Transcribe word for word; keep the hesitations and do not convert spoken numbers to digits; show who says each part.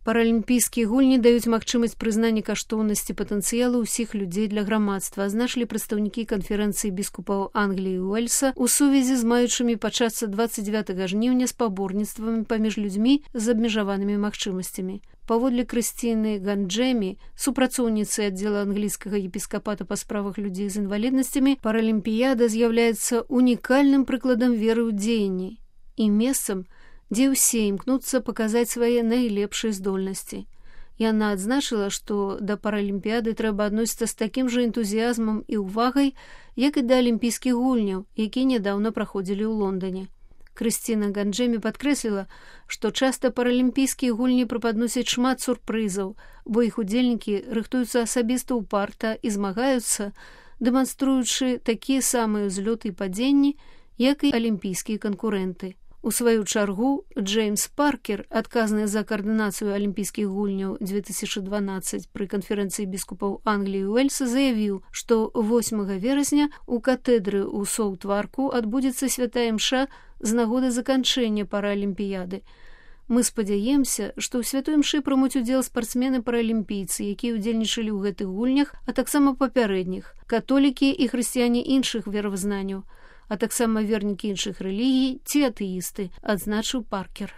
Speaker 1: Паралімпійскія гульні даюць магчымасць прызнання каштоўнасці патэнцыялу ўсіх людзей для грамадства, азначылі прадстаўнікі канферэнцыі біскупаў Англіі і Уэльса ў сувязі з маючымі пачацца дваццаць дзевятага жніўня спаборніцтвамі паміж людзьмі з абмежаванымі магчымасцямі. Паводле Крысціны Ганджэмі, супрацоўніцы аддзела англійскага епіскапата па справах людзей з інваліднасцямі, паралімпіяда з'яўляецца унікальным прыкладам веры ў дзеянні і месцам, дзе ўсе імкнуцца паказаць свае найлепшыя здольнасці. Яна адзначыла, што да паралімпіяды трэба адносіцца з такім жа энтузіязмам і ўвагай, як і да алімпійскіх гульняў, якія нядаўна праходзілі ў Лондане. Крысціна Ганджэмі падкрэсліла, што часта паралімпійскія гульні прападносяць шмат сюрпрызаў, бо іх удзельнікі рыхтуюцца асабіста ўпарта і змагаюцца, дэманструючы такія самыя ўзлёты і падзенні, як і алімпійскія канкурэнты. У сваю чаргу, Джеймс Паркер, адказны за каардынацыю алімпійскіх гульняў две тысячы дванаццаць пры канферэнцыі біскупаў Англіі і Уэльса, заявіў, што восьмага верасня у катэдры ў Соутварку адбудзецца святая імша з нагоды заканчэння паралімпіяды. Мы спадзяемся, што ў святой імшы прымуць удзел спартсмены-паралімпійцы, якія ўдзельнічалі ў гэтых гульнях, а таксама папярэдніх, католікі і хрысціяне іншых веравызнанняў, а таксама вернікі іншых рэлігій ці атэісты, адзначыў Паркер.